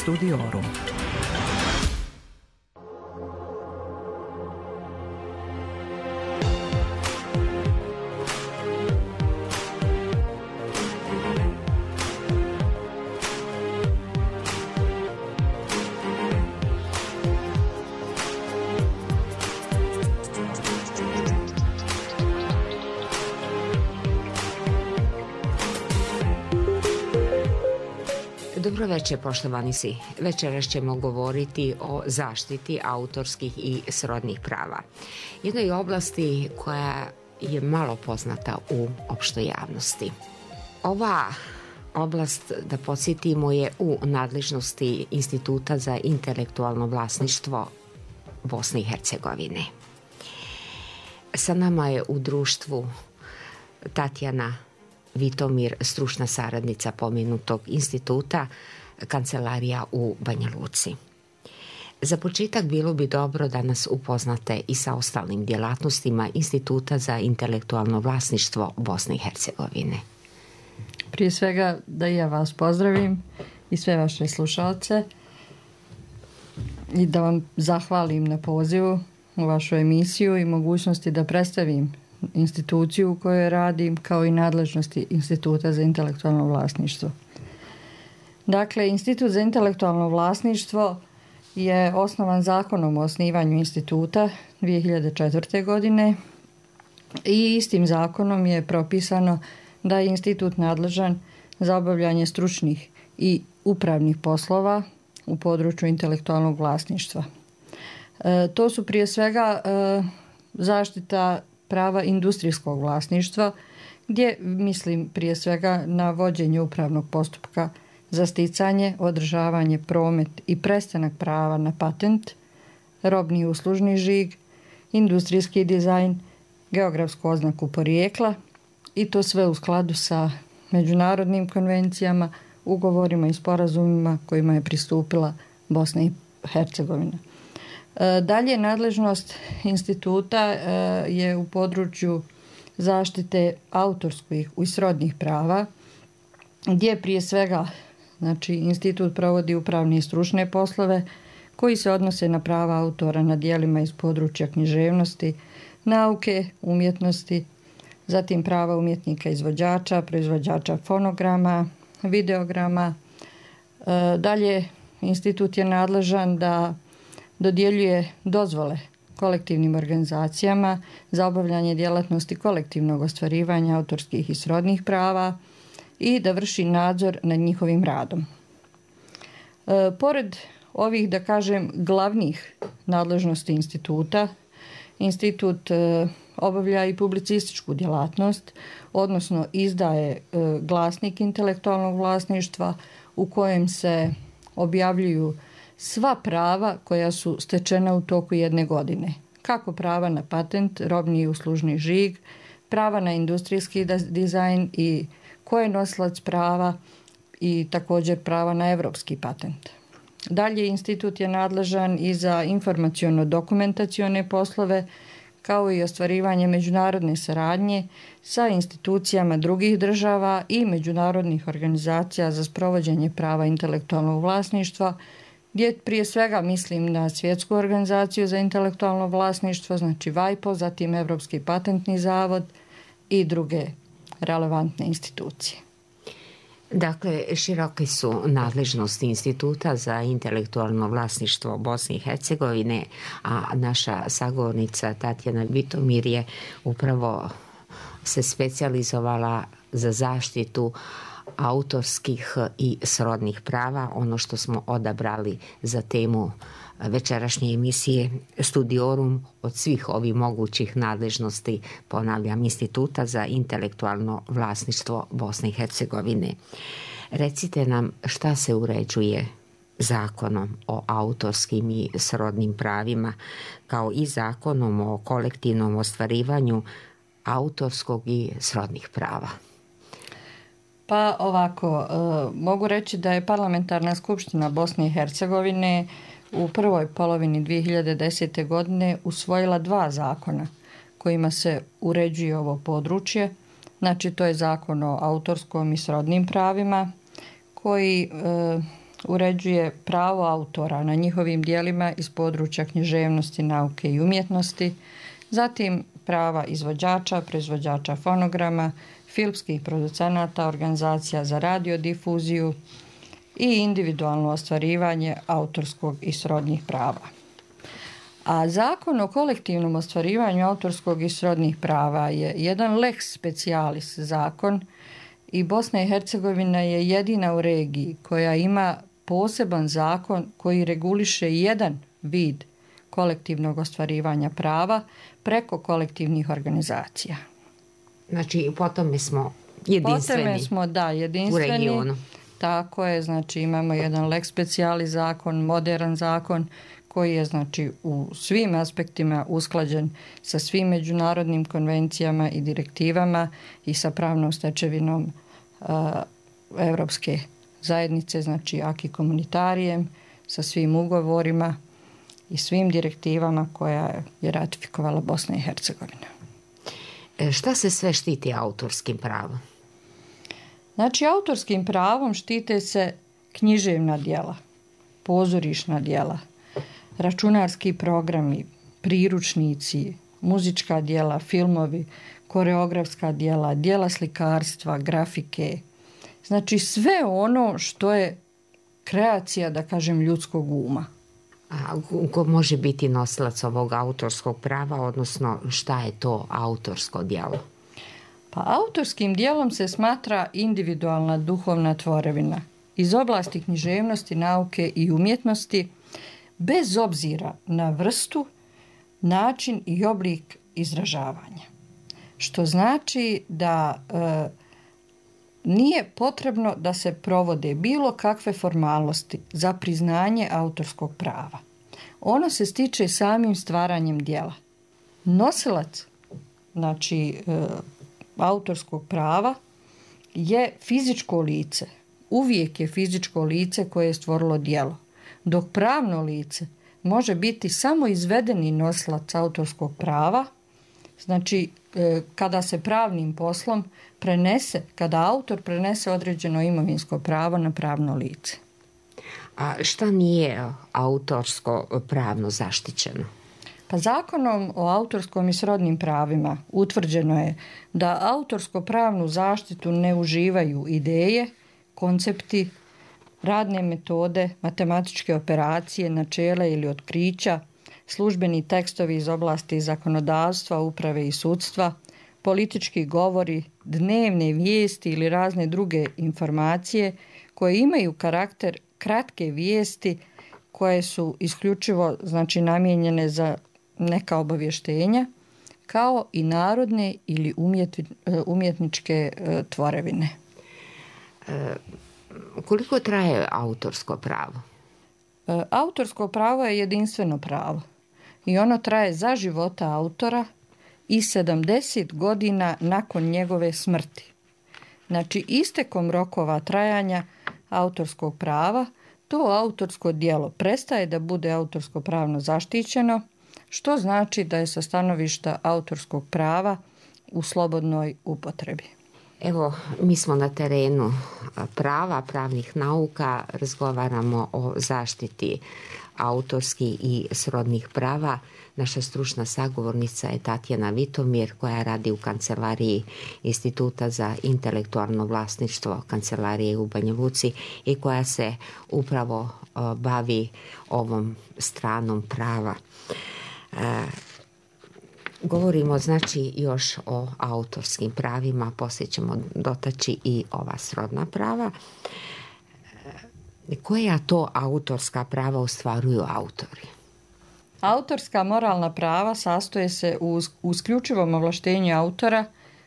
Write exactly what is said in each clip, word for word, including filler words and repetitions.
Studiorum. Dobro večer, poštovani svi. Večeras ćemo govoriti o zaštiti autorskih i srodnih prava. Jednoj oblasti koja je malo poznata u opštoj javnosti. Ova oblast, da podsjetimo, je u nadležnosti Instituta za intelektualno vlasništvo Bosne i Hercegovine. Sa nama je u društvu Tatjana Vitomir, stručna saradnica pomenutog instituta, kancelarija u Banja Luci. Za početak bilo bi dobro da nas upoznate i sa ostalim djelatnostima Instituta za intelektualno vlasništvo Bosne i Hercegovine. Prije svega da i ja vas pozdravim i sve vaše slušalce i da vam zahvalim na pozivu u vašu emisiju i mogućnosti da predstavim instituciju u kojoj radim, kao i nadležnosti Instituta za intelektualno vlasništvo. Dakle, Institut za intelektualno vlasništvo je osnovan zakonom o osnivanju instituta dvije hiljade četvrte. godine i istim zakonom je propisano da je institut nadležan za obavljanje stručnih i upravnih poslova u području intelektualnog vlasništva. E, to su prije svega e, zaštita prava industrijskog vlasništva, gdje mislim prije svega na vođenje upravnog postupka za sticanje, održavanje, promet i prestanak prava na patent, robni i uslužni žig, industrijski dizajn, geografsku oznaku porijekla i to sve u skladu sa međunarodnim konvencijama, ugovorima i sporazumima kojima je pristupila Bosna i Hercegovina. Dalje, nadležnost instituta je u području zaštite autorskih i srodnih prava, gdje prije svega znači, institut provodi upravne i stručne poslove koji se odnose na prava autora na djelima iz područja književnosti, nauke, umjetnosti, zatim prava umjetnika izvođača, proizvođača fonograma, videograma. Dalje, institut je nadležan da dodjeljuje dozvole kolektivnim organizacijama za obavljanje djelatnosti kolektivnog ostvarivanja autorskih i srodnih prava i da vrši nadzor nad njihovim radom. E, pored ovih, da kažem, glavnih nadležnosti instituta, institut e, obavlja i publicističku djelatnost, odnosno izdaje e, glasnik intelektualnog vlasništva u kojem se objavljuju sva prava koja su stečena u toku jedne godine. Kako prava na patent, robni i uslužni žig, prava na industrijski dizajn i ko je nosilac prava i također prava na evropski patent. Dalje, institut je nadležan i za informaciono-dokumentacione poslove, kao i ostvarivanje međunarodne saradnje sa institucijama drugih država i međunarodnih organizacija za sprovođenje prava intelektualnog vlasništva, gdje prije svega mislim na Svjetsku organizaciju za intelektualno vlasništvo, znači vajpo, zatim Evropski patentni zavod i druge relevantne institucije. Dakle, široke su nadležnosti Instituta za intelektualno vlasništvo Bosne i Hercegovine, a naša sagovornica Tatjana Vitomir je upravo se specijalizovala za zaštitu autorskih i srodnih prava, ono što smo odabrali za temu večerašnje emisije Studiorum od svih ovih mogućih nadležnosti, ponavljam, Instituta za intelektualno vlasništvo Bosne i Hercegovine. Recite nam šta se uređuje zakonom o autorskim i srodnim pravima, kao i zakonom o kolektivnom ostvarivanju autorskog i srodnih prava. Pa ovako, mogu reći da je Parlamentarna skupština Bosne i Hercegovine u prvoj polovini dvije hiljade desete. godine usvojila dva zakona kojima se uređuje ovo područje. Znači, to je zakon o autorskom i srodnim pravima koji e, uređuje pravo autora na njihovim dijelima iz područja književnosti, nauke i umjetnosti, zatim prava izvođača, proizvođača fonograma, filmskih producenata, organizacija za radiodifuziju i individualno ostvarivanje autorskog i srodnih prava. A Zakon o kolektivnom ostvarivanju autorskog i srodnih prava je jedan lex specialis zakon i Bosna i Hercegovina je jedina u regiji koja ima poseban zakon koji reguliše jedan vid kolektivnog ostvarivanja prava preko kolektivnih organizacija. Znači, po tome smo jedinstveni. Po tome smo, da, jedinstveni. U regionu. Tako je, znači imamo jedan lex specialis zakon, modern zakon koji je znači u svim aspektima usklađen sa svim međunarodnim konvencijama i direktivama i sa pravnom stečevinom uh, Evropske zajednice, znači acquis communitarijem, sa svim ugovorima i svim direktivama koja je ratifikovala Bosna i Hercegovina. E, šta se sve štiti autorskim pravom? Znači, autorskim pravom štite se književna djela, pozorišna djela, računarski programi, priručnici, muzička djela, filmovi, koreografska djela, djela slikarstva, grafike. Znači, sve ono što je kreacija, da kažem, ljudskog uma. A ko može biti nosilac ovog autorskog prava, odnosno šta je to autorsko djelo? Pa autorskim djelom se smatra individualna duhovna tvorevina iz oblasti književnosti, nauke i umjetnosti, bez obzira na vrstu, način i oblik izražavanja. Što znači da e, nije potrebno da se provode bilo kakve formalnosti za priznanje autorskog prava. Ono se stiče samim stvaranjem djela. Nosilac, znači e, autorskog prava, je fizičko lice. Uvijek je fizičko lice koje je stvorilo djelo. Dok pravno lice može biti samo izvedeni nosilac autorskog prava, znači e, kada se pravnim poslom prenese, kada autor prenese određeno imovinsko pravo na pravno lice. A šta nije autorsko pravno zaštićeno? Pa Zakonom o autorskom i srodnim pravima utvrđeno je da autorsko pravnu zaštitu ne uživaju ideje, koncepti, radne metode, matematičke operacije, načela ili otkrića, službeni tekstovi iz oblasti zakonodavstva, uprave i sudstva, politički govori, dnevne vijesti ili razne druge informacije koje imaju karakter kratke vijesti koje su isključivo, znači, namijenjene za neka obavještenja, kao i narodne ili umjetničke tvorevine. E, koliko traje autorsko pravo? E, autorsko pravo je jedinstveno pravo i ono traje za života autora i sedamdeset godina nakon njegove smrti. Znači, istekom rokova trajanja autorskog prava to autorsko djelo prestaje da bude autorsko pravno zaštićeno, što znači da je sa stanovišta autorskog prava u slobodnoj upotrebi. Evo, mi smo na terenu prava, pravnih nauka, razgovaramo o zaštiti autorskih i srodnih prava. Naša stručna sagovornica je Tatjana Vitomir, koja radi u kancelariji Instituta za intelektualno vlasništvo kancelarije u Banja Luci i koja se upravo bavi ovom stranom prava. E, govorimo znači još o autorskim pravima, poslije ćemo dotaći i ova srodna prava. E, koja to autorska prava ostvaruju autori? Autorska moralna prava sastoje se u isključivom ovlaštenju autora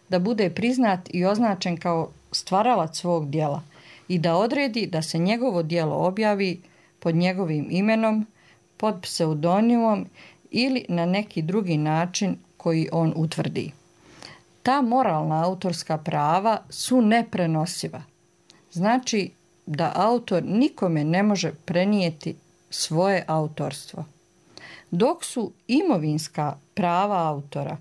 da bude priznat i označen kao stvaralac svog djela i da odredi da se njegovo djelo objavi pod njegovim imenom, pod pseudonimom ili na neki drugi način koji on utvrdi. Ta moralna autorska prava su neprenosiva. Znači da autor nikome ne može prenijeti svoje autorstvo. Dok su imovinska prava autora,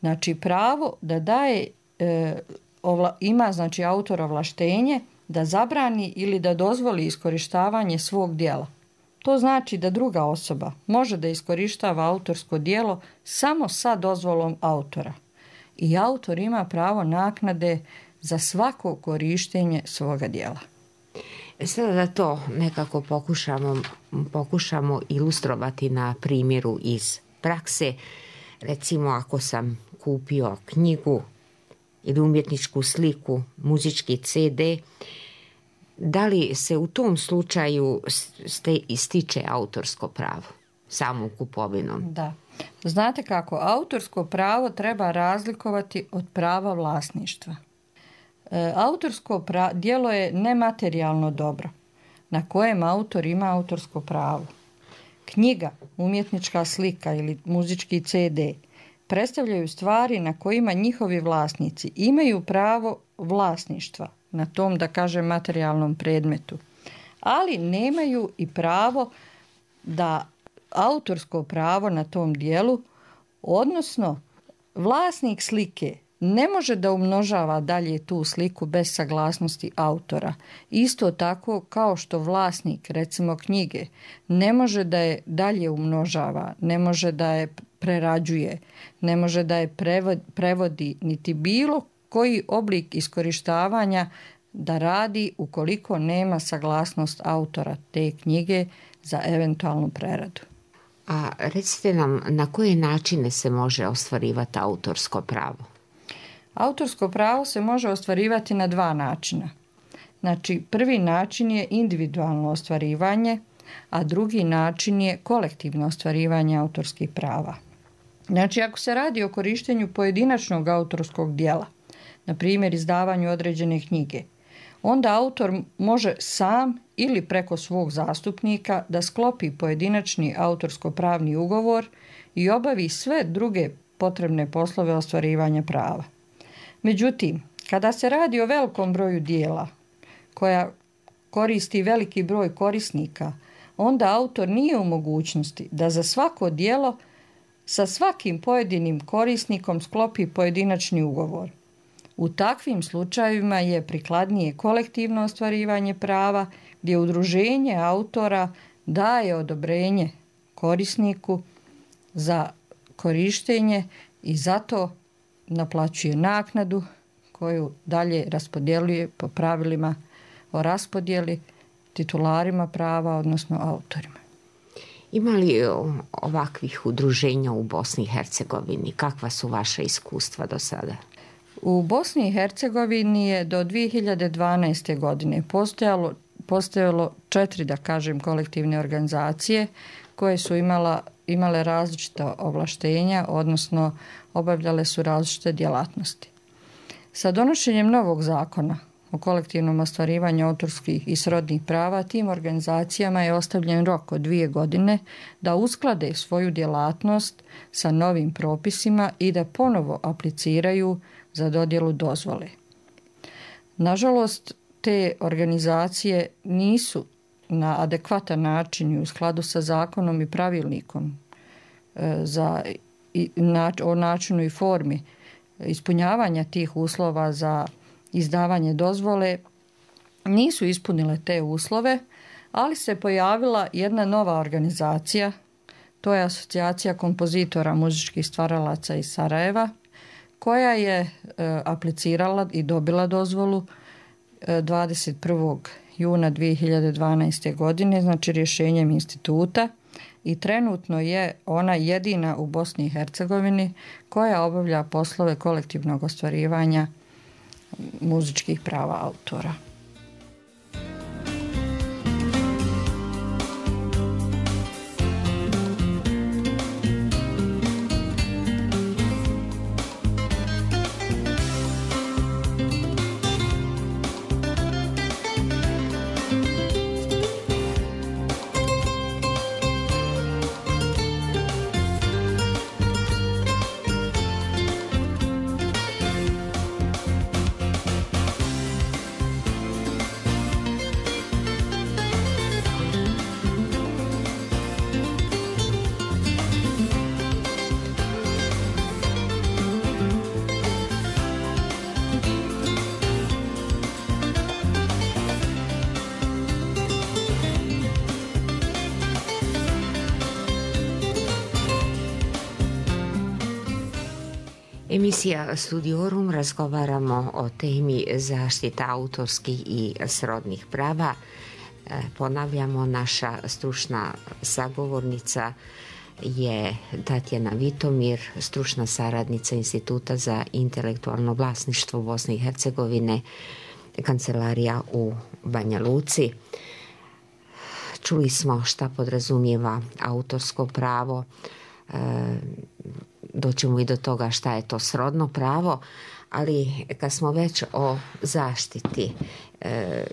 znači pravo da daje, e, ovla, ima znači autor ovlaštenje da zabrani ili da dozvoli iskorištavanje svog djela. To znači da druga osoba može da iskorištava autorsko djelo samo sa dozvolom autora. I autor ima pravo naknade za svako korištenje svoga djela. Sada da to nekako pokušamo, pokušamo ilustrovati na primjeru iz prakse. Recimo, ako sam kupio knjigu ili umjetničku sliku, muzički ce de, da li se u tom slučaju ističe autorsko pravo samom kupovinom? Da. Znate kako, autorsko pravo treba razlikovati od prava vlasništva. E, autorsko pra- djelo je nematerijalno dobro na kojem autor ima autorsko pravo. Knjiga, umjetnička slika ili muzički ce de predstavljaju stvari na kojima njihovi vlasnici imaju pravo vlasništva na tom, da kažem, materijalnom predmetu, ali nemaju i pravo da autorsko pravo na tom dijelu, odnosno vlasnik slike ne može da umnožava dalje tu sliku bez saglasnosti autora. Isto tako kao što vlasnik, recimo knjige, ne može da je dalje umnožava, ne može da je prerađuje, ne može da je prevodi, niti bilo koji oblik iskorištavanja da radi ukoliko nema saglasnost autora te knjige za eventualnu preradu. A recite nam, na koje načine se može ostvarivati autorsko pravo? Autorsko pravo se može ostvarivati na dva načina. Znači, prvi način je individualno ostvarivanje, a drugi način je kolektivno ostvarivanje autorskih prava. Znači, ako se radi o korištenju pojedinačnog autorskog djela, na primjer izdavanju određene knjige, onda autor može sam ili preko svog zastupnika da sklopi pojedinačni autorsko-pravni ugovor i obavi sve druge potrebne poslove ostvarivanja prava. Međutim, kada se radi o velikom broju dijela koja koristi veliki broj korisnika, onda autor nije u mogućnosti da za svako djelo sa svakim pojedinim korisnikom sklopi pojedinačni ugovor. U takvim slučajevima je prikladnije kolektivno ostvarivanje prava gdje udruženje autora daje odobrenje korisniku za korištenje i zato naplaćuje naknadu koju dalje raspodjeljuje po pravilima o raspodjeli titularima prava, odnosno autorima. Ima li ovakvih udruženja u Bosni i Hercegovini? Kakva su vaša iskustva do sada? U Bosni i Hercegovini je do dvije hiljade dvanaeste. godine postojalo, postojalo četiri, da kažem, kolektivne organizacije koje su imala, imale različita ovlaštenja, odnosno obavljale su različite djelatnosti. Sa donošenjem novog zakona o kolektivnom ostvarivanju autorskih i srodnih prava tim organizacijama je ostavljen rok od dvije godine da usklade svoju djelatnost sa novim propisima i da ponovo apliciraju za dodjelu dozvole. Nažalost, te organizacije nisu na adekvatan način i u skladu sa zakonom i pravilnikom za, i, na, o načinu i formi ispunjavanja tih uslova za izdavanje dozvole nisu ispunile te uslove, ali se pojavila jedna nova organizacija, to je Asocijacija kompozitora muzičkih stvaralaca iz Sarajeva, koja je e, aplicirala i dobila dozvolu e, dvadeset prvog juna dvije hiljade dvanaeste. godine, znači rješenjem instituta, i trenutno je ona jedina u Bosni i Hercegovini koja obavlja poslove kolektivnog ostvarivanja muzičkih prava autora. Emisija Studiorum, razgovaramo o temi zaštita autorskih i srodnih prava. Ponavljamo, naša stručna sagovornica je Tatjana Vitomir, stručna saradnica Instituta za intelektualno vlasništvo Bosne i Hercegovine, kancelarija u Banja Luci. Čuli smo šta podrazumijeva autorsko pravo, doćemo i do toga šta je to srodno pravo, ali kad smo već o zaštiti,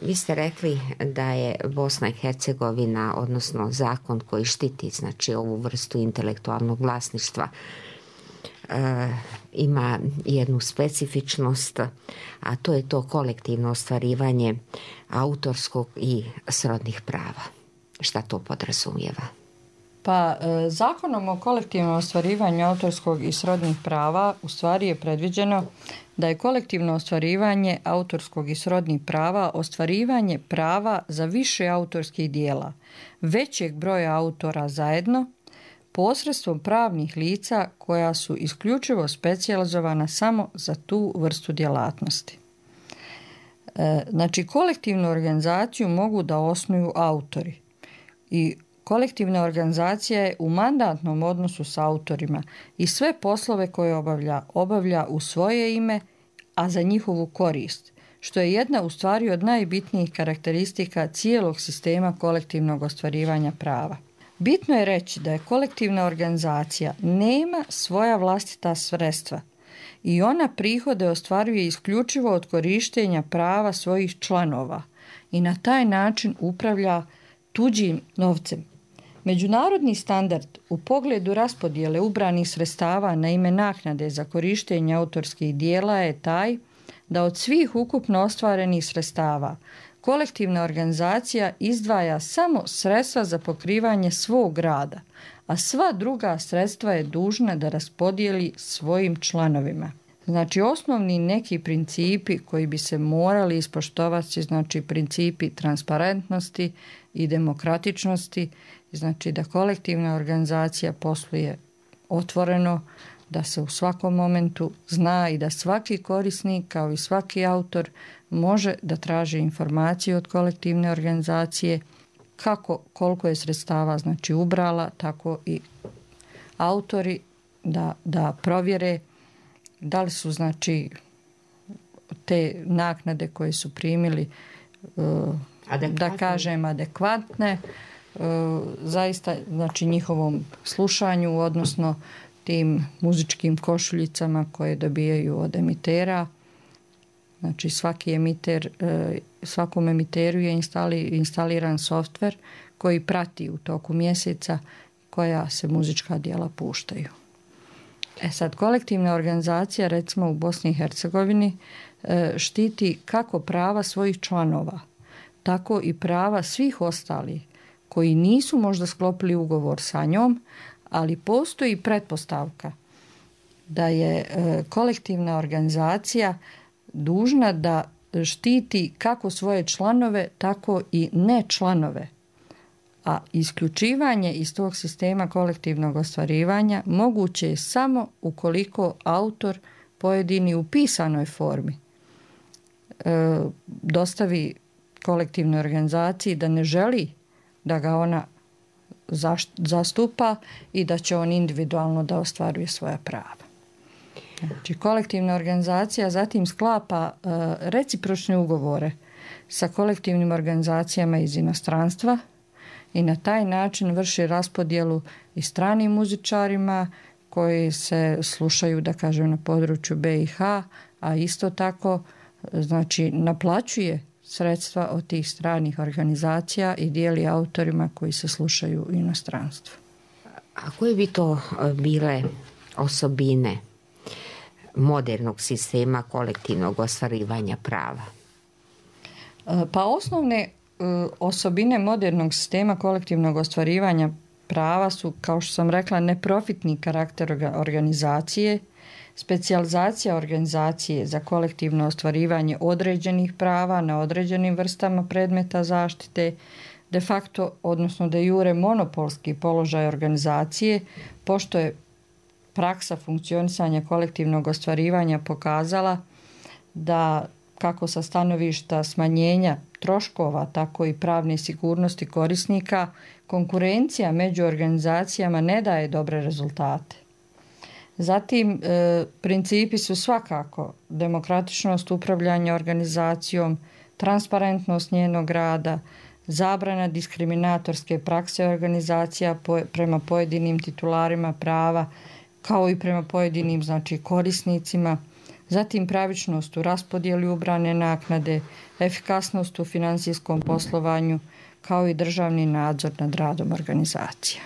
vi ste rekli da je Bosna i Hercegovina, odnosno zakon koji štiti znači ovu vrstu intelektualnog vlasništva, ima jednu specifičnost, a to je to kolektivno ostvarivanje autorskog i srodnih prava. Šta to podrazumijeva? Pa Zakonom o kolektivnom ostvarivanju autorskog i srodnih prava u stvari je predviđeno da je kolektivno ostvarivanje autorskog i srodnih prava ostvarivanje prava za više autorskih dijela, većeg broja autora zajedno, posredstvom pravnih lica koja su isključivo specijalizovana samo za tu vrstu djelatnosti. Znači, kolektivnu organizaciju mogu da osnuju autori i kolektivna organizacija je u mandatnom odnosu s autorima i sve poslove koje obavlja, obavlja u svoje ime, a za njihovu korist, što je jedna u stvari od najbitnijih karakteristika cijelog sistema kolektivnog ostvarivanja prava. Bitno je reći da je kolektivna organizacija nema svoja vlastita sredstva i ona prihode ostvaruje isključivo od korištenja prava svojih članova i na taj način upravlja tuđim novcem. Međunarodni standard u pogledu raspodjele ubranih sredstava na ime naknade za korištenje autorskih dijela je taj da od svih ukupno ostvarenih sredstava kolektivna organizacija izdvaja samo sredstva za pokrivanje svog rada, a sva druga sredstva je dužna da raspodijeli svojim članovima. Znači, osnovni neki principi koji bi se morali ispoštovati, znači principi transparentnosti i demokratičnosti, znači da kolektivna organizacija posluje otvoreno, da se u svakom momentu zna i da svaki korisnik kao i svaki autor može da traži informaciju od kolektivne organizacije kako, koliko je sredstava znači ubrala, tako i autori da, da provjere da li su znači te naknade koje su primili da kažem adekvatne zaista znači njihovom slušanju, odnosno tim muzičkim košuljicama koje dobijaju od emitera. Znači svaki emiter, svakom emiteru je instali, instaliran softver koji prati u toku mjeseca koja se muzička djela puštaju. E sad, kolektivna organizacija recimo u Bosni i Hercegovini štiti kako prava svojih članova, tako i prava svih ostalih koji nisu možda sklopili ugovor sa njom, ali postoji pretpostavka da je kolektivna organizacija dužna da štiti kako svoje članove, tako i ne članove. A isključivanje iz tog sistema kolektivnog ostvarivanja moguće je samo ukoliko autor pojedini u pisanoj formi e, dostavi kolektivnoj organizaciji da ne želi da ga ona zastupa i da će on individualno da ostvaruje svoja prava. Znači, kolektivna organizacija zatim sklapa uh, recipročne ugovore sa kolektivnim organizacijama iz inostranstva i na taj način vrši raspodjelu i stranim muzičarima koji se slušaju, da kažem, na području B i H, a isto tako znači naplaćuje sredstva od tih stranih organizacija i dijeli autorima koji se slušaju u inostranstvu. A koje bi to bile osobine modernog sistema kolektivnog ostvarivanja prava? Pa osnovne osobine modernog sistema kolektivnog ostvarivanja prava su, kao što sam rekla, neprofitni karakter organizacije, specijalizacija organizacije za kolektivno ostvarivanje određenih prava na određenim vrstama predmeta zaštite, de facto, odnosno de jure monopolski položaj organizacije, pošto je praksa funkcionisanja kolektivnog ostvarivanja pokazala da kako sa stanovišta smanjenja troškova, tako i pravne sigurnosti korisnika, konkurencija među organizacijama ne daje dobre rezultate. Zatim, e, principi su svakako demokratičnost upravljanja organizacijom, transparentnost njenog rada, zabrana diskriminatorske prakse organizacija po, prema pojedinim titularima prava, kao i prema pojedinim, znači, korisnicima, zatim pravičnost u raspodjeli ubrane naknade, efikasnost u financijskom poslovanju, kao i državni nadzor nad radom organizacija.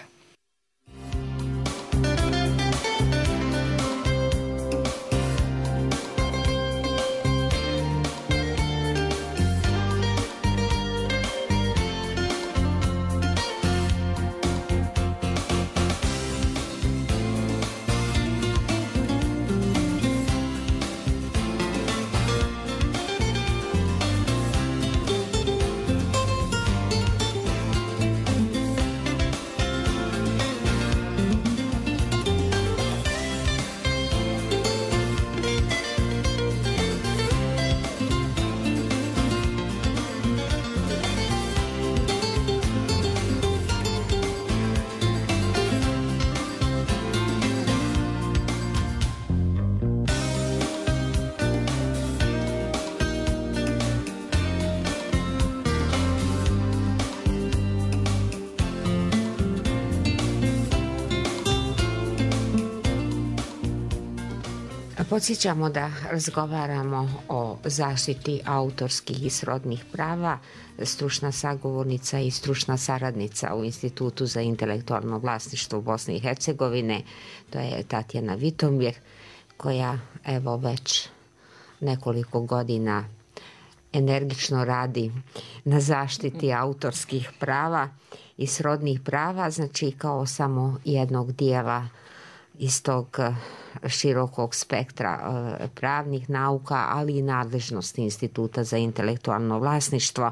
Podsjećamo da razgovaramo o zaštiti autorskih i srodnih prava. Stručna sagovornica i stručna saradnica u Institutu za intelektualno vlasništvo Bosne i Hercegovine, to je Tatjana Vitomir, koja evo već nekoliko godina energično radi na zaštiti autorskih prava i srodnih prava, znači kao samo jednog dijela iz tog širokog spektra pravnih nauka, ali i nadležnosti Instituta za intelektualno vlasništvo.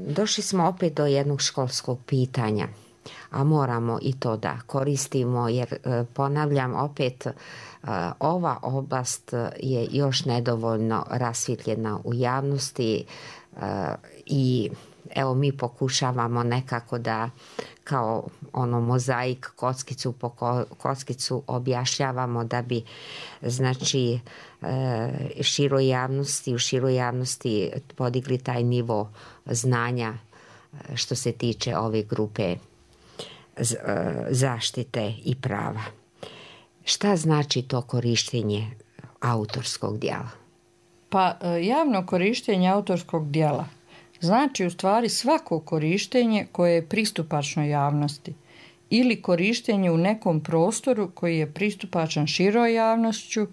Došli smo opet do jednog školskog pitanja, a moramo i to da koristimo, jer ponavljam opet, ova oblast je još nedovoljno rasvjetljena u javnosti i evo mi pokušavamo nekako da kao ono mozaik kockicu po kockicu objašnjavamo da bi znači široj javnosti, u široj javnosti podigli taj nivo znanja što se tiče ove grupe zaštite i prava. Šta znači to korištenje autorskog djela? Pa javno korištenje autorskog djela znači u stvari svako korištenje koje je pristupačno javnosti ili korištenje u nekom prostoru koji je pristupačan široj javnošću,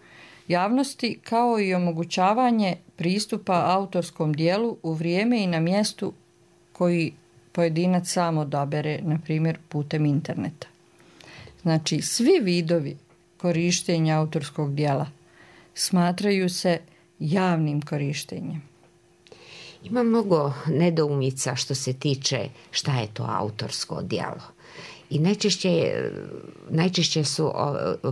javnosti, kao i omogućavanje pristupa autorskom djelu u vrijeme i na mjestu koji pojedinac sam odabere, na primjer putem interneta. Znači, svi vidovi korištenja autorskog djela smatraju se javnim korištenjem. Ima mnogo nedoumica što se tiče šta je to autorsko djelo. I najčešće, najčešće su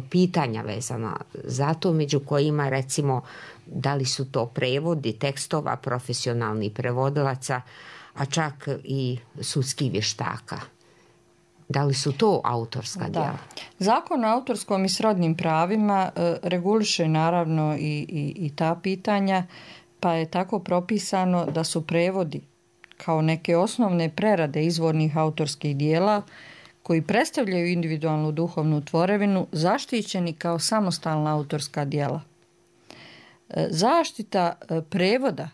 pitanja vezana za to, među kojima recimo da li su to prevodi tekstova profesionalnih prevodilaca, a čak i sudskih vještaka. Da li su to autorska djela? Da. Zakon o autorskom i srodnim pravima e, reguliše naravno i, i, i ta pitanja, pa je tako propisano da su prevodi kao neke osnovne prerade izvornih autorskih dijela koji predstavljaju individualnu duhovnu tvorevinu zaštićeni kao samostalna autorska djela. Zaštita prevoda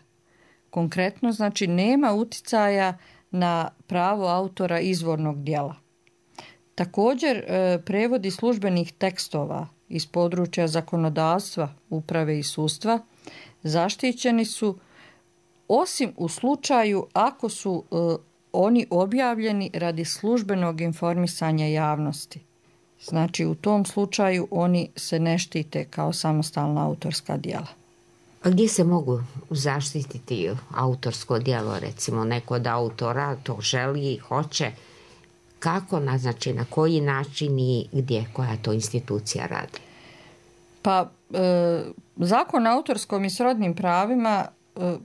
konkretno znači nema uticaja na pravo autora izvornog djela. Također prevodi službenih tekstova iz područja zakonodavstva, uprave i sudstva zaštićeni su osim u slučaju ako su e, oni objavljeni radi službenog informisanja javnosti. Znači u tom slučaju oni se ne štite kao samostalna autorska djela. A gdje se mogu zaštititi autorsko djelo, recimo neko od autora to želi i hoće, kako, znači na koji način i gdje koja to institucija radi? Pa e, Zakon o autorskom i srodnim pravima e,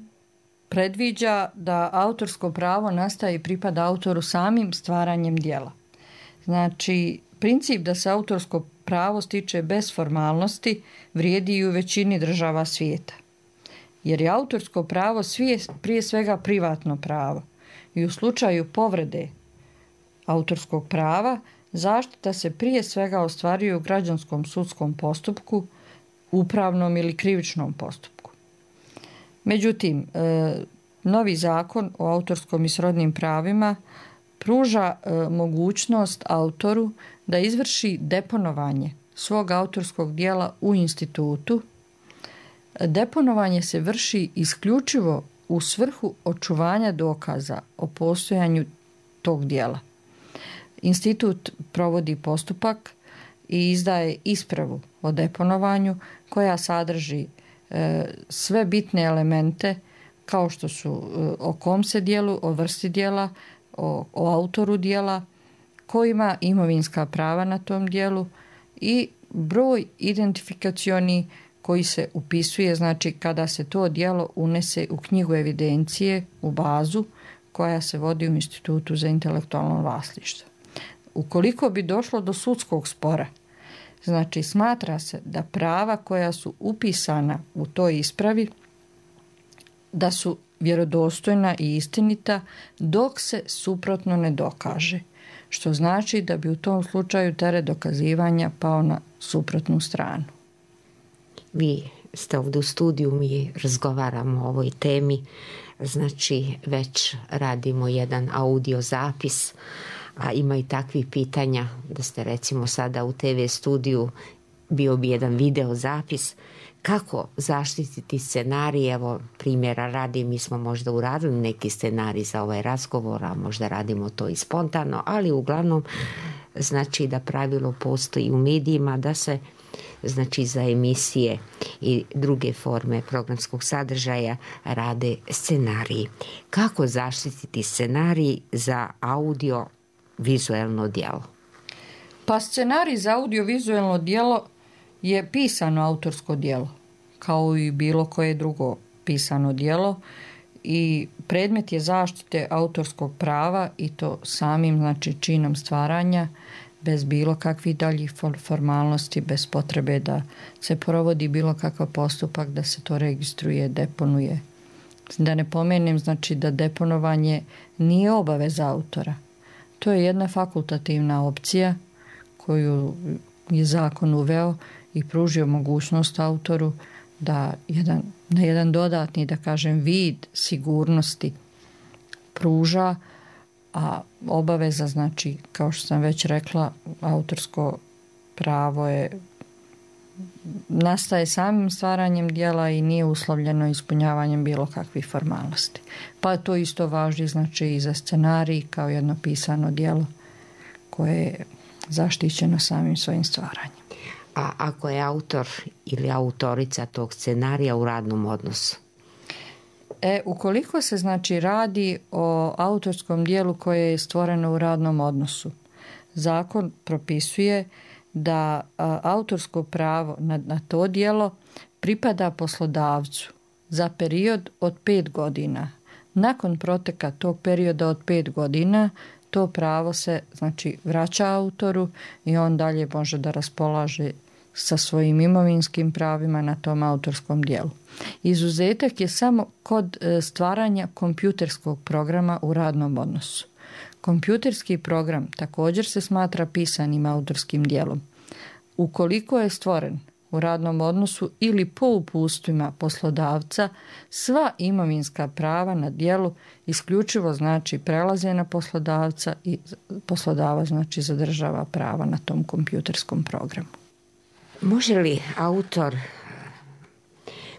predviđa da autorsko pravo nastaje i pripada autoru samim stvaranjem djela. Znači, princip da se autorsko pravo stiče bez formalnosti vrijedi i u većini država svijeta. Jer je autorsko pravo svije, prije svega privatno pravo i u slučaju povrede autorskog prava zaštita se prije svega ostvaruje u građanskom sudskom postupku, upravnom ili krivičnom postupku. Međutim, novi zakon o autorskom i srodnim pravima pruža mogućnost autoru da izvrši deponovanje svog autorskog djela u institutu. Deponovanje se vrši isključivo u svrhu očuvanja dokaza o postojanju tog djela. Institut provodi postupak i izdaje ispravu o deponovanju koja sadrži e, sve bitne elemente kao što su e, o kom se djelu, o vrsti djela, o, o autoru djela, ko ima imovinska prava na tom djelu i broj identifikacioni koji se upisuje, znači kada se to djelo unese u knjigu evidencije, u bazu koja se vodi u Institutu za intelektualno vlasništvo. Ukoliko bi došlo do sudskog spora, znači smatra se da prava koja su upisana u toj ispravi da su vjerodostojna i istinita dok se suprotno ne dokaže, što znači da bi u tom slučaju teret dokazivanja pao na suprotnu stranu. Vi ste ovdje u studiju, mi razgovaramo o ovoj temi, znači već radimo jedan audio zapis, a ima i takvih pitanja da ste recimo sada u te ve studiju, bio bi jedan video zapis, kako zaštititi scenarij. Evo primjera radi, mi smo možda uradili neki scenarij za ovaj razgovor, a možda radimo to i spontano, ali uglavnom znači da pravilo postoji u medijima da se znači za emisije i druge forme programskog sadržaja rade scenariji. Kako zaštititi scenarij za audio vizuelno djelo? Pa scenarij za audiovizualno djelo je pisano autorsko djelo, kao i bilo koje drugo pisano djelo i predmet je zaštite autorskog prava i to samim znači činom stvaranja, bez bilo kakvih daljih formalnosti, bez potrebe da se provodi bilo kakav postupak, da se to registruje, deponuje. Da ne pomenem znači da deponovanje nije obaveza autora. To je jedna fakultativna opcija koju je zakon uveo i pružio mogućnost autoru da jedan, na jedan dodatni, da kažem, vid sigurnosti pruža, a obaveza, znači, kao što sam već rekla, autorsko pravo je nastaje samim stvaranjem djela i nije uslovljeno ispunjavanjem bilo kakvih formalnosti. Pa to isto važi znači i za scenarij kao jedno pisano djelo koje je zaštićeno samim svojim stvaranjem. A ako je autor ili autorica tog scenarija u radnom odnosu? E, ukoliko se znači radi o autorskom djelu koje je stvoreno u radnom odnosu, zakon propisuje da a, autorsko pravo na, na to djelo pripada poslodavcu za period od pet godina. Nakon proteka tog perioda od pet godina to pravo se znači vraća autoru i on dalje može da raspolaže sa svojim imovinskim pravima na tom autorskom djelu. Izuzetak je samo kod stvaranja kompjuterskog programa u radnom odnosu. Kompjuterski program također se smatra pisanim autorskim djelom. Ukoliko je stvoren u radnom odnosu ili po upustvima poslodavca, sva imovinska prava na djelu isključivo znači prelaze na poslodavca i poslodavac znači zadržava prava na tom kompjuterskom programu. Može li autor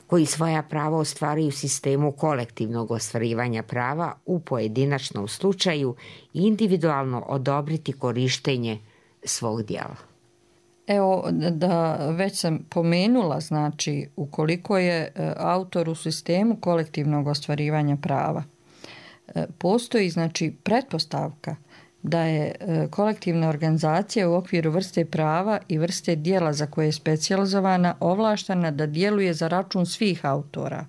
koji svoja prava ostvaruje u sistemu kolektivnog ostvarivanja prava u pojedinačnom slučaju individualno odobriti korištenje svog djela? Evo, da već sam pomenula, znači, ukoliko je autor u sistemu kolektivnog ostvarivanja prava, postoji, znači, pretpostavka da je kolektivna organizacija u okviru vrste prava i vrste djela za koje je specijalizovana ovlaštena da djeluje za račun svih autora.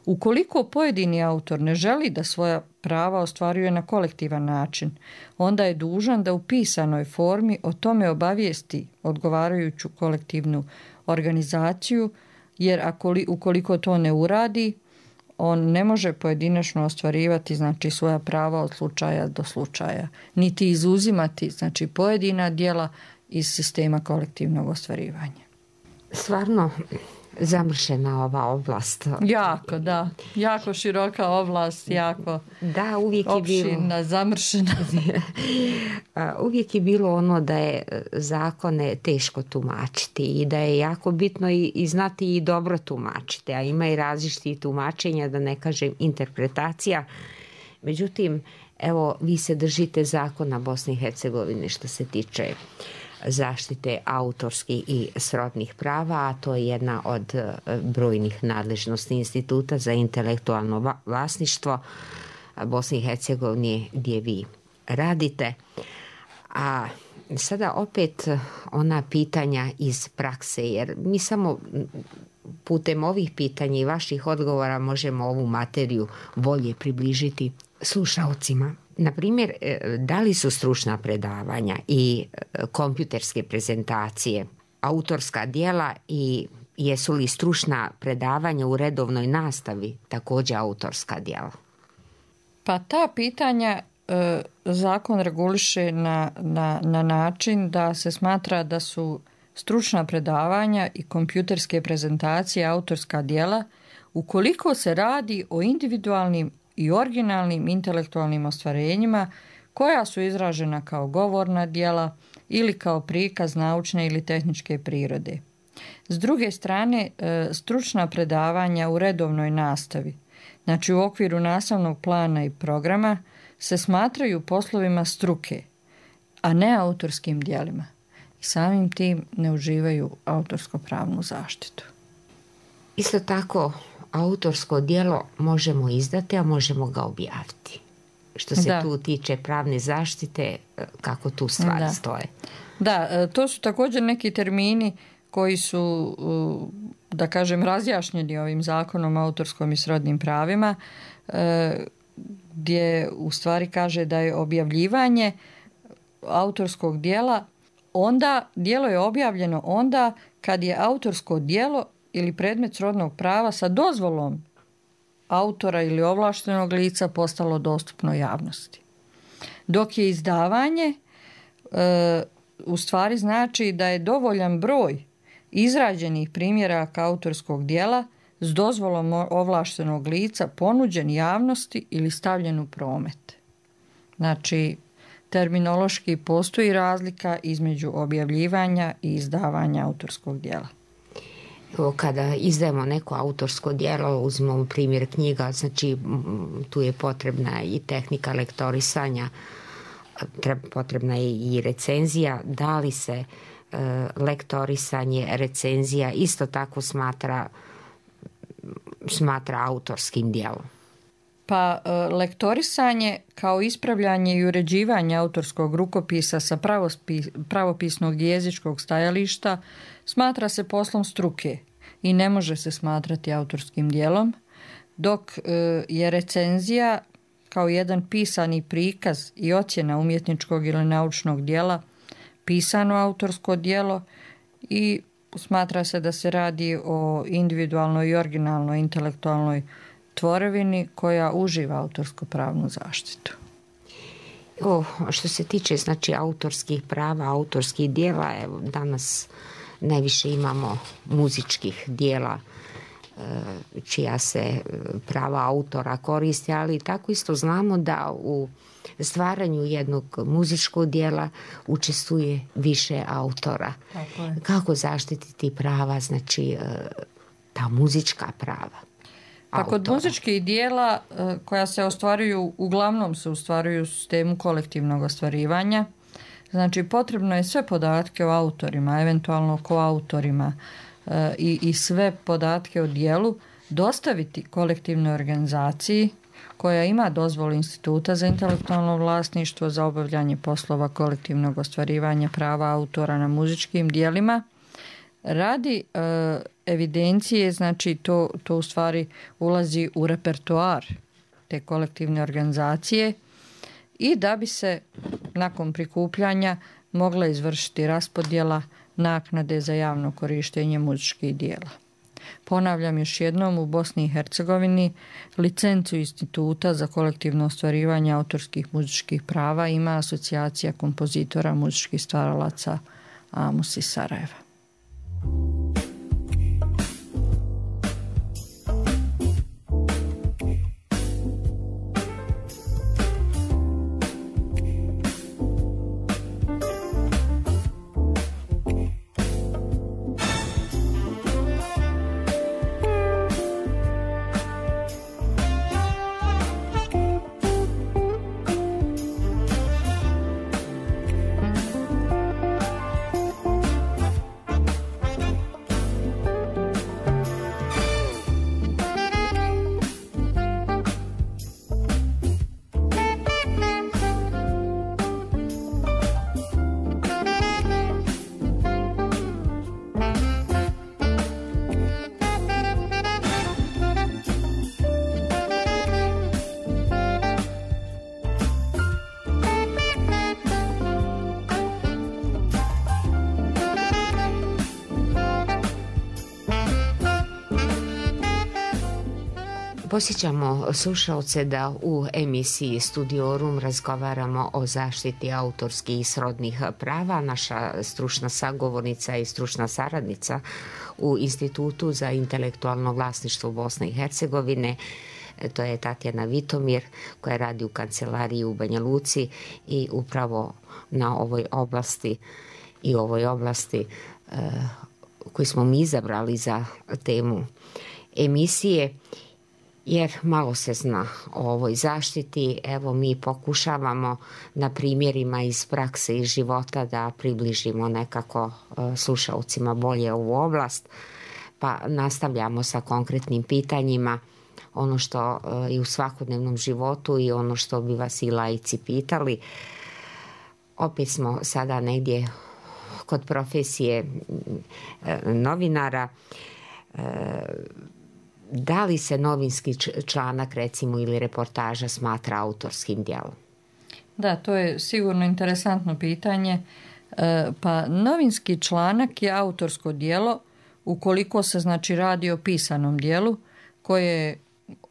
Ukoliko pojedini autor ne želi da svoja prava ostvaruje na kolektivan način, onda je dužan da u pisanoj formi o tome obavijesti odgovarajuću kolektivnu organizaciju, jer ako, ukoliko to ne uradi, on ne može pojedinačno ostvarivati znači svoja prava od slučaja do slučaja, niti izuzimati znači pojedina djela iz sistema kolektivnog ostvarivanja. Stvarno zamršena ova oblast. Jako, da. Jako široka oblast, jako da, uvijek je opširna, bilo, zamršena. Uvijek je bilo ono da je zakone teško tumačiti i da je jako bitno i, i znati i dobro tumačiti, a ima i različitih tumačenja, da ne kažem interpretacija. Međutim, evo, vi se držite zakona Bosne i Hercegovine što se tiče zaštite autorskih i srodnih prava, a to je jedna od brojnih nadležnosti Instituta za intelektualno vlasništvo Bosne i Hercegovine gdje vi radite. A sada opet ona pitanja iz prakse, jer mi samo putem ovih pitanja i vaših odgovora možemo ovu materiju bolje približiti slušaocima. Na primjer, da li su stručna predavanja i kompjuterske prezentacije autorska djela i jesu li stručna predavanja u redovnoj nastavi također autorska djela? Pa ta pitanja e, zakon reguliše na, na, na način da se smatra da su stručna predavanja i kompjuterske prezentacije autorska djela ukoliko se radi o individualnim i originalnim intelektualnim ostvarenjima koja su izražena kao govorna djela ili kao prikaz naučne ili tehničke prirode. S druge strane, stručna predavanja u redovnoj nastavi, znači u okviru nastavnog plana i programa, se smatraju poslovima struke, a ne autorskim djelima. I samim tim ne uživaju autorsko-pravnu zaštitu. Isto tako, autorsko djelo možemo izdati, a možemo ga objaviti. Što se da. tu tiče pravne zaštite, kako tu stvari da. stoje. Da, to su također neki termini koji su, da kažem, razjašnjeni ovim zakonom o autorskom i srodnim pravima, gdje u stvari kaže da je objavljivanje autorskog djela onda, djelo je objavljeno onda kad je autorsko djelo ili predmet srodnog prava sa dozvolom autora ili ovlaštenog lica postalo dostupno javnosti. Dok je izdavanje e, u stvari znači da je dovoljan broj izrađenih primjeraka autorskog djela s dozvolom ovlaštenog lica ponuđen javnosti ili stavljen u promet. Znači, terminološki postoji razlika između objavljivanja i izdavanja autorskog djela. Kada izdajemo neko autorsko djelo, uzmemo primjer knjiga, znači tu je potrebna i tehnika lektorisanja, potrebna je i recenzija. Da li se e, lektorisanje, recenzija isto tako smatra, smatra autorskim djelom? Pa e, lektorisanje kao ispravljanje i uređivanje autorskog rukopisa sa pravospis, pravopisnog i jezičkog stajališta smatra se poslom struke i ne može se smatrati autorskim djelom, dok e, je recenzija kao jedan pisani prikaz i ocjena umjetničkog ili naučnog djela pisano autorsko djelo i smatra se da se radi o individualnoj i originalnoj intelektualnoj tvorevini koja uživa autorsko-pravnu zaštitu. O, što se tiče znači autorskih prava, autorskih djela, evo danas najviše imamo muzičkih djela čija se prava autora koriste, ali tako isto znamo da u stvaranju jednog muzičkog djela učestvuje više autora. Kako zaštititi prava, znači ta muzička prava? Pa kod muzičkih dijela koja se ostvaruju, uglavnom se ostvaruju u sistemu kolektivnog ostvarivanja. Znači potrebno je sve podatke o autorima, eventualno koautorima i, i sve podatke o dijelu dostaviti kolektivnoj organizaciji koja ima dozvolu Instituta za intelektualno vlasništvo za obavljanje poslova kolektivnog ostvarivanja prava autora na muzičkim dijelima. Radi e, evidencije, znači to, to u stvari ulazi u repertoar te kolektivne organizacije i da bi se nakon prikupljanja mogla izvršiti raspodjela naknade za javno korištenje muzičkih dijela. Ponavljam još jednom, u Bosni i Hercegovini licencu Instituta za kolektivno ostvarivanje autorskih muzičkih prava ima Asocijacija kompozitora muzičkih stvaralaca Amus iz Sarajeva. Posjećamo slušalce da u emisiji Studiorum razgovaramo o zaštiti autorskih i srodnih prava. Naša stručna sagovornica i stručna saradnica u Institutu za intelektualno vlasništvo Bosne i Hercegovine, to je Tatjana Vitomir, koja radi u kancelariji u Banja Luci i upravo na ovoj oblasti i ovoj oblasti eh, koju smo mi izabrali za temu emisije, jer malo se zna o ovoj zaštiti. Evo, mi pokušavamo na primjerima iz prakse i života da približimo nekako slušalcima bolje ovu oblast, pa nastavljamo sa konkretnim pitanjima, ono što i u svakodnevnom životu i ono što bi vas i laici pitali. Opet smo sada negdje kod profesije novinara. Da li se novinski članak, recimo, ili reportaža smatra autorskim djelom? Da, to je sigurno interesantno pitanje. E, pa novinski članak je autorsko djelo ukoliko se, znači, radi o pisanom djelu koje je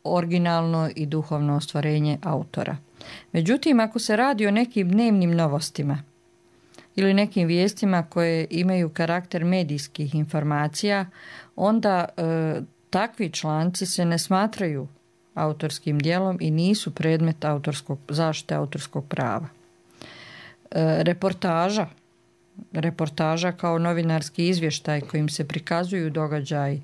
originalno i duhovno ostvarenje autora. Međutim, ako se radi o nekim dnevnim novostima ili nekim vijestima koje imaju karakter medijskih informacija, onda e, takvi članci se ne smatraju autorskim djelom i nisu predmet autorskog, zaštite autorskog prava. E, reportaža, reportaža kao novinarski izvještaj kojim se prikazuju događaji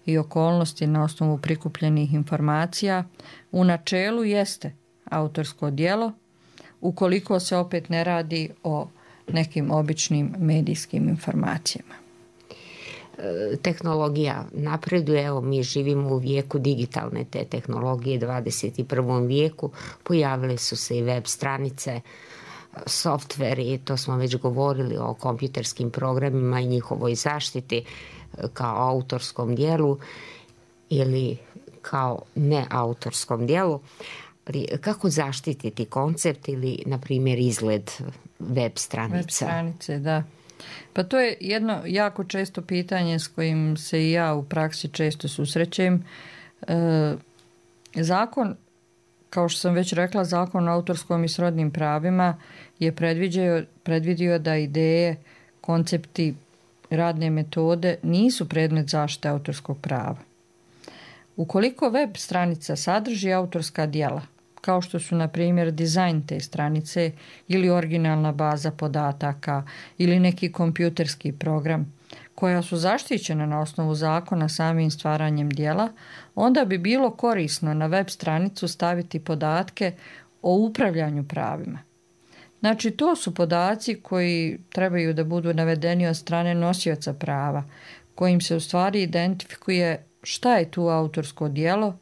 i okolnosti na osnovu prikupljenih informacija u načelu jeste autorsko djelo ukoliko se opet ne radi o nekim običnim medijskim informacijama. Tehnologija napreduje, evo mi živimo u vijeku digitalne te tehnologije, dvadeset i prvom vijeku, pojavile su se i web stranice, softveri, to smo već govorili o kompjuterskim programima i njihovoj zaštiti kao autorskom dijelu ili kao neautorskom dijelu. Kako zaštititi koncept ili, na primjer, izgled web stranica? Web stranice, da. Pa to je jedno jako često pitanje s kojim se i ja u praksi često susrećem. E, zakon, kao što sam već rekla, Zakon o autorskom i srodnim pravima je predvidio, predvidio da ideje, koncepti, radne metode nisu predmet zaštite autorskog prava. Ukoliko web stranica sadrži autorska djela, kao što su, na primjer, dizajn te stranice ili originalna baza podataka ili neki kompjuterski program, koja su zaštićena na osnovu zakona samim stvaranjem djela, onda bi bilo korisno na web stranicu staviti podatke o upravljanju pravima. Znači, to su podaci koji trebaju da budu navedeni od strane nosioca prava, kojim se u stvari identifikuje šta je tu autorsko djelo,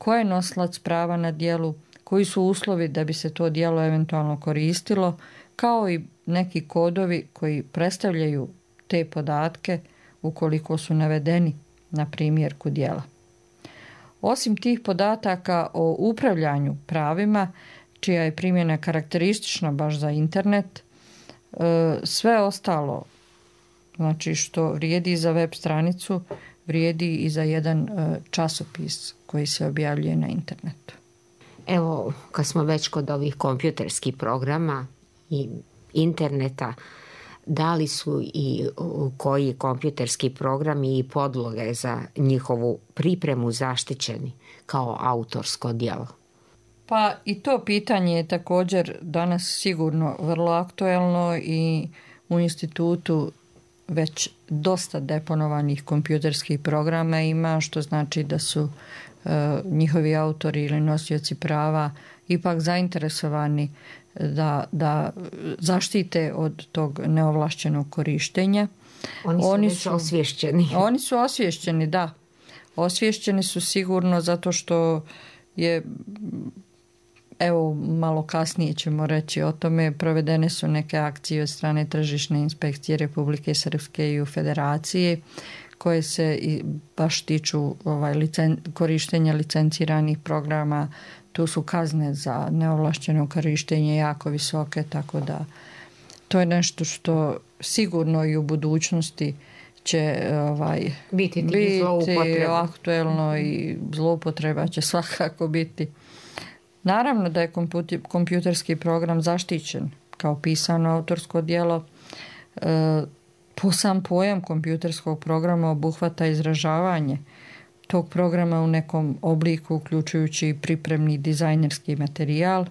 ko je nosilac prava na djelu, koji su uslovi da bi se to djelo eventualno koristilo, kao i neki kodovi koji predstavljaju te podatke ukoliko su navedeni na primjerku djela. Osim tih podataka o upravljanju pravima, čija je primjena karakteristična baš za internet, sve ostalo, znači što vrijedi za web stranicu, vrijedi i za jedan časopis koji se objavljuje na internetu. Evo, kad smo već kod ovih kompjuterskih programa i interneta, da li su i koji kompjuterski programi i podloge za njihovu pripremu zaštićeni kao autorsko djelo? Pa i to pitanje je također danas sigurno vrlo aktuelno i u institutu već dosta deponovanih kompjuterskih programa ima, što znači da su e, njihovi autori ili nosioci prava ipak zainteresovani da, da zaštite od tog neovlašćenog korištenja. Oni su oni već su, osvješćeni. Oni su osvješćeni, da. Osvješćeni su sigurno zato što je, evo malo kasnije ćemo reći o tome, provedene su neke akcije od strane Tržišne inspekcije Republike Srpske i u Federaciji koje se i baš tiču ovaj, licen, korištenja licenciranih programa. Tu su kazne za neovlašćeno korištenje jako visoke, tako da to je nešto što sigurno i u budućnosti će ovaj, biti, biti aktuelno i zloupotreba će svakako biti. Naravno da je kompjuterski program zaštićen kao pisano autorsko djelo. E, po sam pojam kompjuterskog programa obuhvata izražavanje tog programa u nekom obliku, uključujući i pripremni dizajnerski materijal,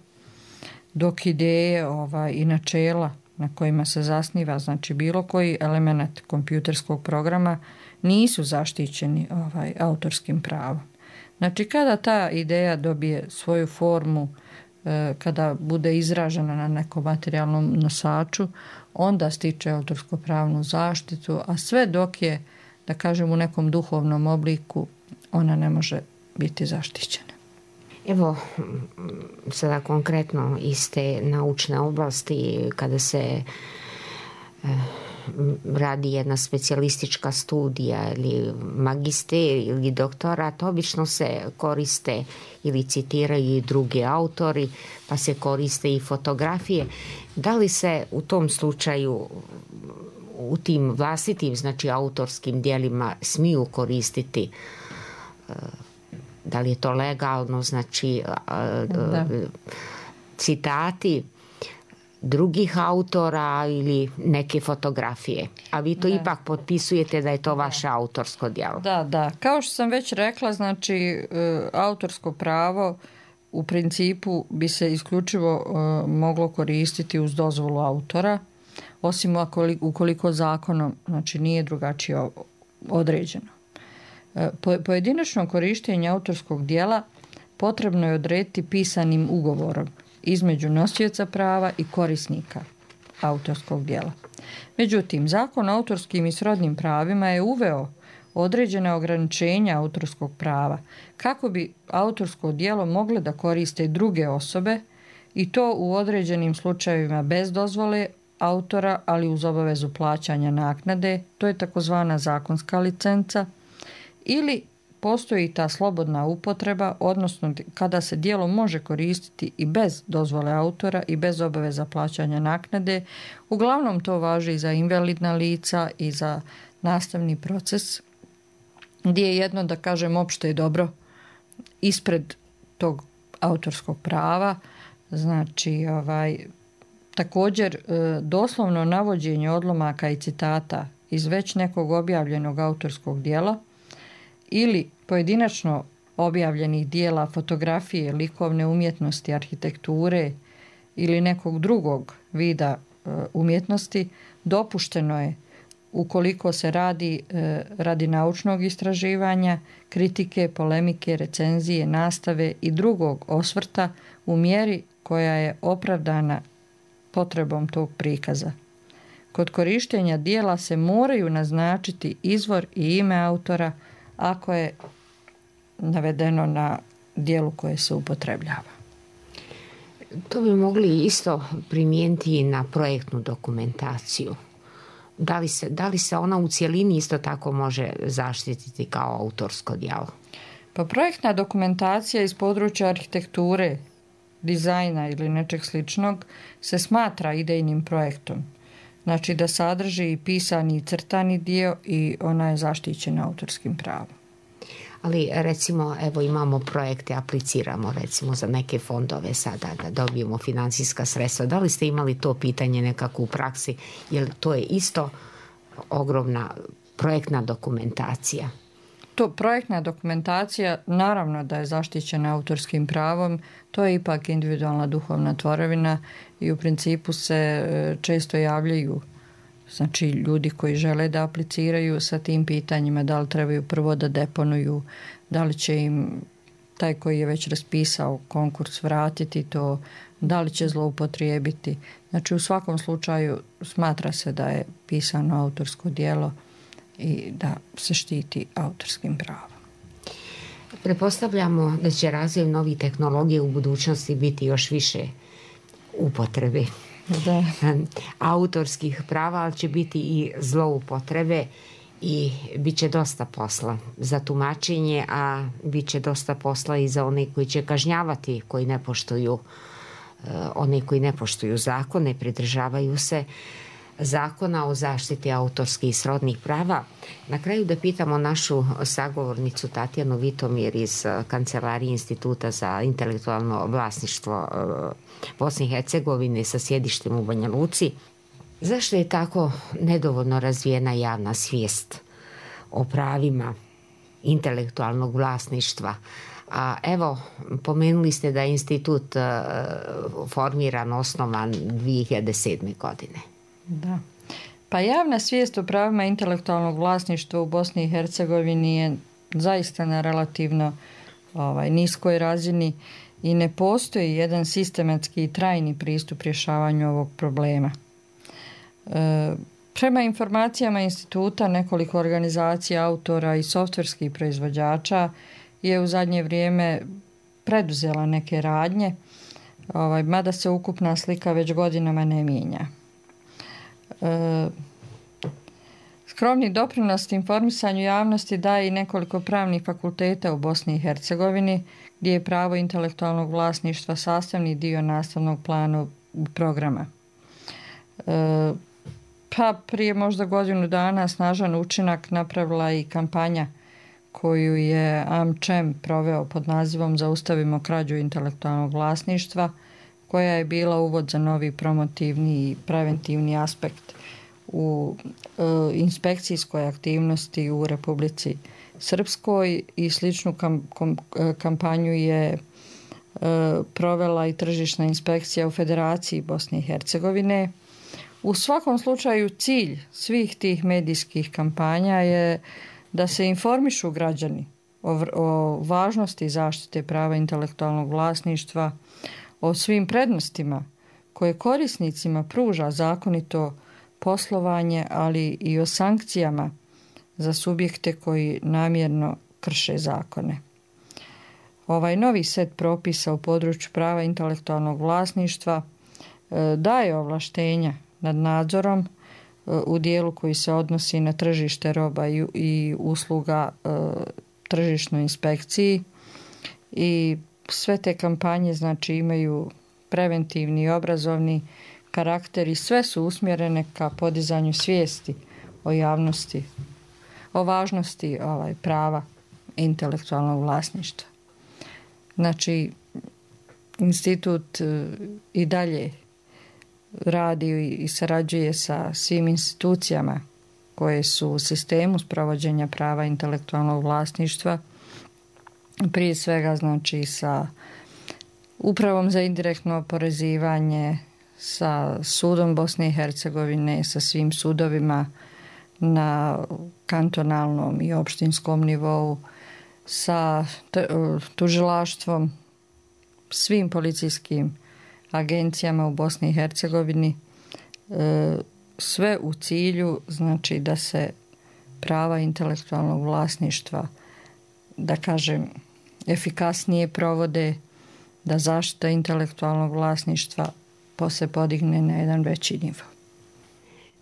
dok ideje ovaj, i načela na kojima se zasniva, znači bilo koji element kompjuterskog programa, nisu zaštićeni ovaj, autorskim pravom. Znači kada ta ideja dobije svoju formu, e, kada bude izražena na nekom materijalnom nosaču, onda stiče autorsko-pravnu zaštitu, a sve dok je, da kažem, u nekom duhovnom obliku, ona ne može biti zaštićena. Evo, sada konkretno iz te naučne oblasti, kada se e, radi jedna specijalistička studija ili magisterij ili doktorat, obično se koriste ili citiraju i drugi autori, pa se koriste i fotografije. Da li se u tom slučaju u tim vlastitim, znači autorskim djelima, smiju koristiti, da li je to legalno, znači da. citati drugih autora ili neke fotografije, a vi to da. ipak potpisujete da je to vaše da. autorsko djelo. Da, da. Kao što sam već rekla, znači autorsko pravo u principu bi se isključivo moglo koristiti uz dozvolu autora, osim ukoliko zakonom, znači, nije drugačije određeno. Pojedinačno korištenje autorskog djela potrebno je odrediti pisanim ugovorom između nosioca prava i korisnika autorskog djela. Međutim, Zakon o autorskim i srodnim pravima je uveo određene ograničenja autorskog prava kako bi autorsko djelo mogle da koriste druge osobe i to u određenim slučajevima bez dozvole autora, ali uz obavezu plaćanja naknade, to je takozvana zakonska licenca, ili postoji ta slobodna upotreba, odnosno kada se djelo može koristiti i bez dozvole autora i bez obaveza plaćanja naknade. Uglavnom to važi i za invalidna lica i za nastavni proces, gdje je jedno, da kažem, opšte dobro ispred tog autorskog prava. Znači, ovaj, također doslovno navođenje odlomaka i citata iz već nekog objavljenog autorskog djela ili pojedinačno objavljenih dijela fotografije, likovne umjetnosti, arhitekture ili nekog drugog vida umjetnosti dopušteno je ukoliko se radi radi naučnog istraživanja, kritike, polemike, recenzije, nastave i drugog osvrta u mjeri koja je opravdana potrebom tog prikaza. Kod korištenja dijela se moraju naznačiti izvor i ime autora ako je navedeno na dijelu koje se upotrebljava. To bi mogli isto primijeniti i na projektnu dokumentaciju. Da li se, da li se ona u cjelini isto tako može zaštititi kao autorsko djelo? Pa projektna dokumentacija iz područja arhitekture, dizajna ili nečeg sličnog se smatra idejnim projektom. Znači da sadrži i pisani i crtani dio i ona je zaštićena autorskim pravom. Ali recimo, evo imamo projekte, apliciramo recimo za neke fondove sada da dobijemo financijska sredstva. Da li ste imali to pitanje nekako u praksi? Jer to je isto ogromna projektna dokumentacija. To projektna dokumentacija naravno da je zaštićena autorskim pravom, to je ipak individualna duhovna tvorevina i u principu se često javljaju znači ljudi koji žele da apliciraju sa tim pitanjima, da li trebaju prvo da deponuju, da li će im taj koji je već raspisao konkurs vratiti to, da li će zloupotrijebiti. Znači u svakom slučaju smatra se da je pisano autorsko djelo i da se štiti autorskim pravom. Pretpostavljamo da će razvoj novih tehnologija u budućnosti biti još više upotrebe da. autorskih prava, ali će biti i zloupotrebe i bit će dosta posla za tumačenje, a bit će dosta posla i za one koji će kažnjavati, koji ne poštuju one koji ne poštuju zakone, pridržavaju se Zakona o zaštiti autorskih i srodnih prava. Na kraju da pitamo našu sagovornicu Tatjanu Vitomir iz Kancelarije Instituta za intelektualno vlasništvo Bosne i Hercegovine sa sjedištem u Banja Luci. Zašto je tako nedovoljno razvijena javna svijest o pravima intelektualnog vlasništva? A evo, pomenuli ste da je institut formiran, osnovan dvije hiljade sedme. godine. Da. Pa javna svijest o pravima intelektualnog vlasništva u Bosni i Hercegovini je zaista na relativno ovaj, niskoj razini i ne postoji jedan sistematski i trajni pristup rješavanju ovog problema. E, prema informacijama instituta, nekoliko organizacija autora i softverskih proizvođača je u zadnje vrijeme preduzela neke radnje, ovaj, mada se ukupna slika već godinama ne mijenja. E, skromni doprinos informisanju javnosti daje i nekoliko pravnih fakulteta u Bosni i Hercegovini, gdje je pravo intelektualnog vlasništva sastavni dio nastavnog plana programa. E, pa prije možda godinu dana snažan učinak napravila i kampanja koju je AmCham proveo pod nazivom Zaustavimo krađu intelektualnog vlasništva, koja je bila uvod za novi promotivni i preventivni aspekt u e, inspekcijskoj aktivnosti u Republici Srpskoj i sličnu kam, kom, kampanju je e, provela i tržišna inspekcija u Federaciji Bosne i Hercegovine. U svakom slučaju cilj svih tih medijskih kampanja je da se informišu građani o, o važnosti zaštite prava intelektualnog vlasništva, o svim prednostima koje korisnicima pruža zakonito poslovanje, ali i o sankcijama za subjekte koji namjerno krše zakone. Ovaj novi set propisa u području prava intelektualnog vlasništva e, daje ovlaštenja nad nadzorom e, u dijelu koji se odnosi na tržište roba i, i usluga e, tržišnoj inspekciji i sve te kampanje znači imaju preventivni i obrazovni karakter i sve su usmjerene ka podizanju svijesti o javnosti, o važnosti ovaj, prava intelektualnog vlasništva. Znači, institut i dalje radi i sarađuje sa svim institucijama koje su u sistemu sprovođenja prava intelektualnog vlasništva, prije svega znači sa Upravom za indirektno oporezivanje, sa sudom Bosne i Hercegovine, sa svim sudovima na kantonalnom i opštinskom nivou, sa tužilaštvom, svim policijskim agencijama u Bosni i Hercegovini, sve u cilju znači da se prava intelektualnog vlasništva, da kažem, efikasnije provode, da zaštita intelektualnog vlasništva posle podigne na jedan veći nivo.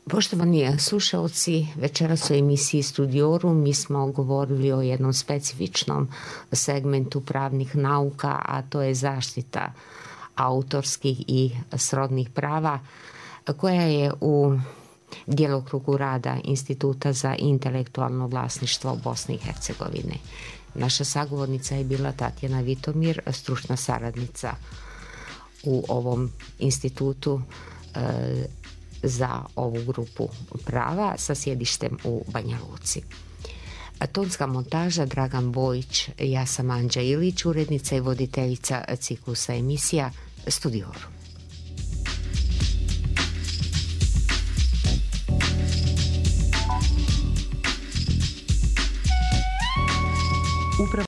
Poštovani slušalci, večeras u emisiji Studiorum mi smo govorili o jednom specifičnom segmentu pravnih nauka, a to je zaštita autorskih i srodnih prava, koja je u djelokrugu rada Instituta za intelektualno vlasništvo Bosne i Hercegovine. Naša sagovornica je bila Tatjana Vitomir, stručna saradnica u ovom institutu e, za ovu grupu prava sa sjedištem u Banja Luci. Tonska montaža Dragan Bojić, ja sam Anđa Ilić, urednica i voditeljica ciklusa emisija Studiorum.